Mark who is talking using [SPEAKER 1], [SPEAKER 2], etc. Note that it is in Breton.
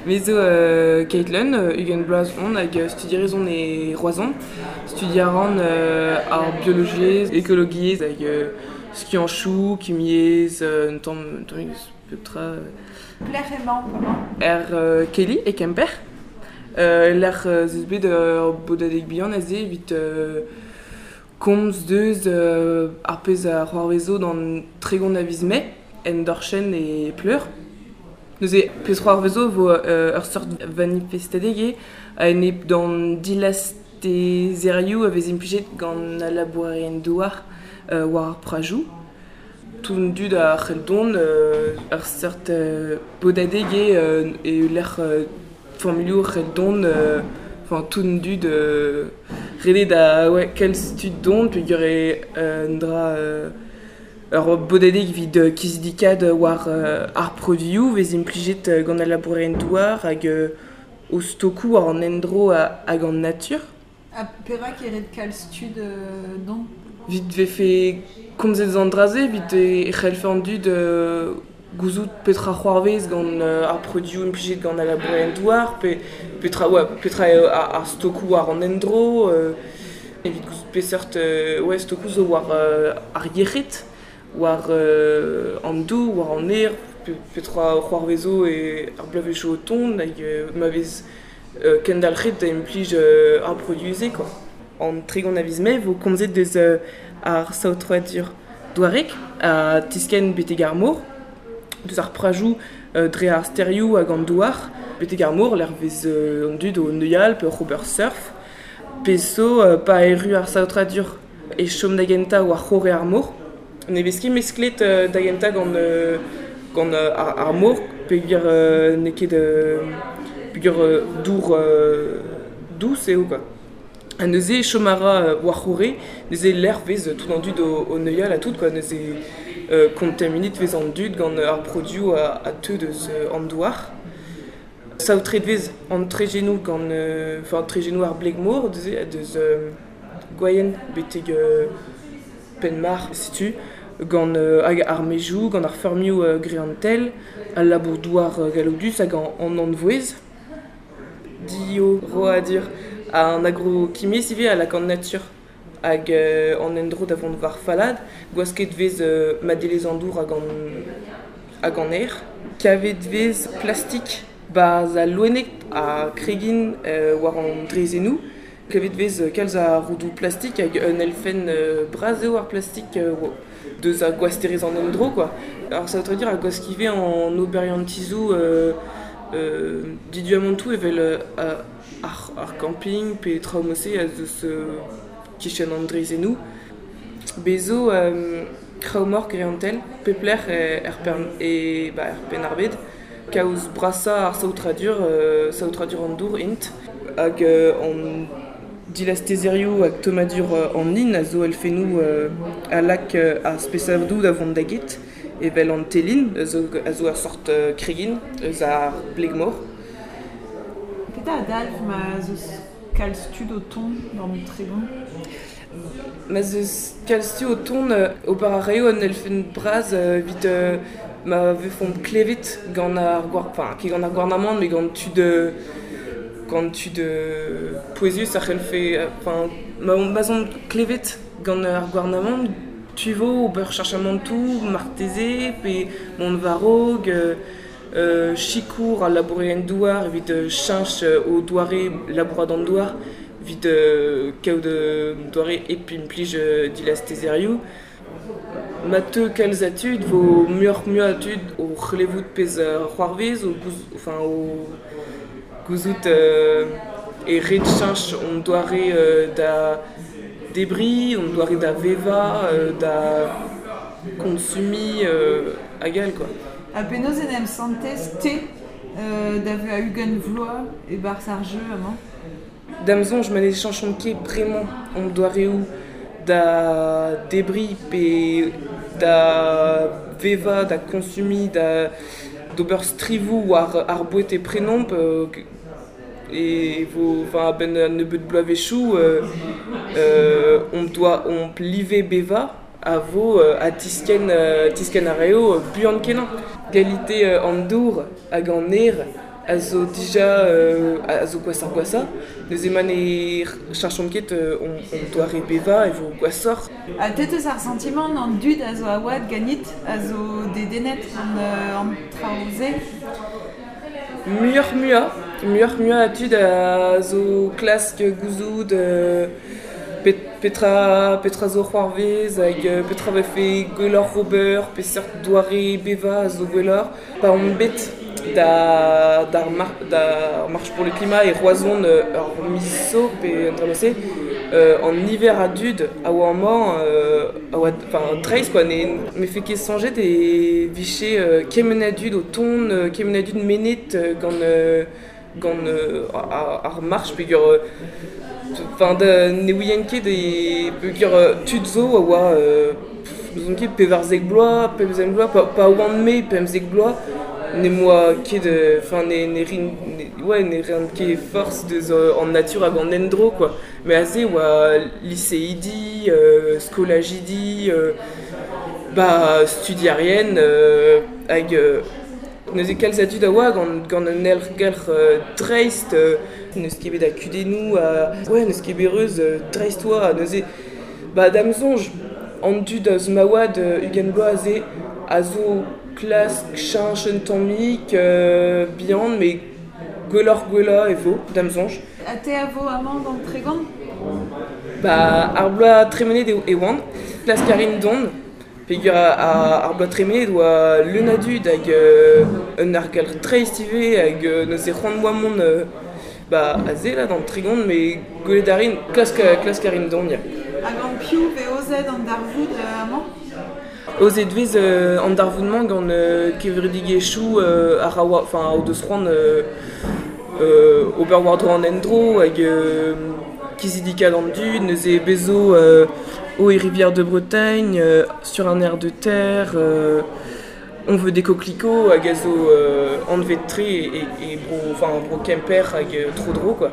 [SPEAKER 1] Me zo Caitlin, 20 bloaz on hag studierez on e Roazhon. Studiañ a ran ar biologiezh, ekologiezh hag skianchoù, kimiezh, un tamm pep tra.
[SPEAKER 2] Pelec'h emañ bremañ?
[SPEAKER 1] Er Kelly, e Kemper. Lec'h ez eus bet ur bodadeg bihan aze evit komz deus ar pezh a c'hoarvezo d'an 30 a viz Mae en Dorchenn e Pleur. Neuze, pezh c'hoarvezo vo ur seurt vanifestadeg eo a-enep d'an dilastezerioù a vez implijet gant al labourerien-douar war ar prajoù. Tout an dud a c'hell dont ur seurt bodadeg eo e lec'h familhoù c'hell dont, enfin tout an dud ret eo da ouais, kalz tud dont peogwir eo un dra ur bodadeg evit kizidikaat war ar produioù vez implijet gant al labourerien-douar hag o stokoù war an endro hag an natur.
[SPEAKER 2] Ha perak e ret kalz tud dont?
[SPEAKER 1] Evit vefe komzet eus an dra-se, evit e c'hellfe an dud gouzout petra c'hoarvez gant ar produioù implijet gant al labourerien-douar, pe petra, ouais, petra eo ar stokoù war an endro, evit gouzout peseurt ouais, stokoù zo war ar yec'hed, war an dour, war an aer, petra c'hoarvezo e ar bloavezhioù o tont hag ma vez kendalc'het da implij ar produioù-se quoi. An 30 a viz Mae vo komzet deus ar saotradur douarek ha tiskenn betek ar mor, deus ar prajoù dre ar stêrioù hag an douar, betek ar mor lec'h vez an dud o neuial pe oc'h ober surf. Pezh zo pa erru ar saotradur e chom da gentañ war c'horre ar mor. Ne vez ket mesklet da gentañ gant ar mor peogwir n'eo ket peogwir dour dous eo quoi. Ha neuze chom a ra war c'horre, neuze lec'h vez tout an dud o neuial ha tout quoi, neuze kontaminet vez an dud gant ar produioù a teu deus an douar. Saotret vez an trezhennoù gant enfin trezhennoù ar bleg-mor neuze deus Gwaien betek Penmarc'h setu gant hag ar maezioù, gant ar feurmioù greantel, al labour-douar galloudus hag an anvouez. Diorroadur an agrokimiezh ivez a lak an natur hag an endro da vont war fallaat. Gwasket vez madelezh an dour hag an aer. Kavet vez plastik 'barzh al loened ha kregin war an draezhennoù. Kavet vez kalz a roudoù plastik hag un elfenn bras eo ar plastik deus ar gwasterezh an endro quoi. Ar saotradur a gwask ivez an oberiantizoù diduamantoù evel ar camping pe traoù mod-se a zeus kichen an draezhennoù. Bez zo kraou-moc'h greantel pep lec'h er e ba er Penn-ar-Bed. Kaoz brasañ ar saotradur, saotradur an dour int. Hag an dilastezerioù hag tommadur an hin a zo elfennoù a lak ar spesadoù da vont da get, evel an telin a zo ur sort kregin eus ar bleg-mor.
[SPEAKER 2] Petra a dalv ma 'z eus kalz tud o tont d'an Tregont?
[SPEAKER 1] Ma 'z eus kalz tud o tont, ober a raio un elfenn bras evit ma vefomp klevet gant ar enfin ket gant ar gouarnamant met gant tud pouezus a c'hellfe enfin ma 'z omp klevet gant ar gouarnamant tu vo ober cheñchamantoù marteze pe mont war-raok sikour al labourerien-douar evit cheñch o doare labourat an douar evit kaout doare hep implij dilastezerioù. Ma teu kalz a tud vo muioc'h-mui a dud o c'hlevout pezh c'hoarvez, enfin o gouzout e ret cheñch hon doare da debriñ, hon doare da vevañ, da konsumiñ hag all quoi.
[SPEAKER 2] Ha penaos en em santez te da vezañ 20 vloaz e-barzh ar jeu amañ?
[SPEAKER 1] Da'm soñj ma ne cheñchomp ket bremañ hon doareoù da debriñ pe da vevañ, da konsumiñ, da d'ober strivoù war ar boued e prenomp e vo enfin a-benn un nebeud bloavezhioù hon doa hon live bevañ a vo ha tiskenn a raio buan-kenañ. Kalite an dour hag an aer A zo dija a zo gwashoc'h gwashañ. Neuze ma ne cheñchomp ket hon doare bevañ e vo gwashoc'h.
[SPEAKER 2] Ha te 'teus ar santimant an dud a zo a-oad ganit a zo dedennet gant an traoù-se?
[SPEAKER 1] Muioc'h-muiañ, muioc'h-muiañ a dud a zo klask gouzout petra petra zo c'hoarvez hag petra vefe gwelloc'h ober, peseurt doare bevañ a zo gwelloc'h. Pa omp bet da d'ar d'ar Marche pour le climat e Roazhon ur miz zo pe un dra-se, an niver a dud a oa amañ a oa enfin dreist quoi, ne 'mefe ket soñjet e vije kement a dud o tont, kement a dud mennet gant gant ar march peogwir enfin ne ouien ket e peogwir tud zo a oa n'ouzon ket 14 bloaz, 15 bloaz, pa oan-me 15 bloaz n'em boa ket enfin ne ne rin ouais ne ran ket forzh deus an natur hag an endro quoi. Met aze e oa liseidi, skolajidi, ba studierien hag neuze kalz a dud a oa gant gant un aergelc'h dreist, n'eus ket bet a kudennoù, ouais n'eus ket bet reuz dreist oa neuze ba da'm soñj an dud eus ma oad 20 bloaz aze a zo klask cheñch un tammig bihan met gwelloc'h-gwellañ e vo da'm soñj.
[SPEAKER 2] Ha te a vo amañ gant Tregont?
[SPEAKER 1] Ba ar bloaz tremenet e oan, klask a rin dont peogwir ar bloaz tremenet oa leun a dud hag un aergelc'h dreist ivez hag neuze c'hoant 'moa mont ba aze là d'an Tregont met gwelet a rin, klask klask a rin dont ya.
[SPEAKER 2] Ha gant piv 'vez aozet an darvoud amañ?
[SPEAKER 1] Aozet 'vez an darvoud-mañ gant kevredigezhioù a ra enfin o deus c'hoant ober war-dro an endro hag kizidikaat an dud, neuze bez zo Eau et Rivière de Bretagne, Sur un air de terre, On veut des coquelicots hag a zo anvet-tre e bro enfin bro Kemper hag tro-dro quoi.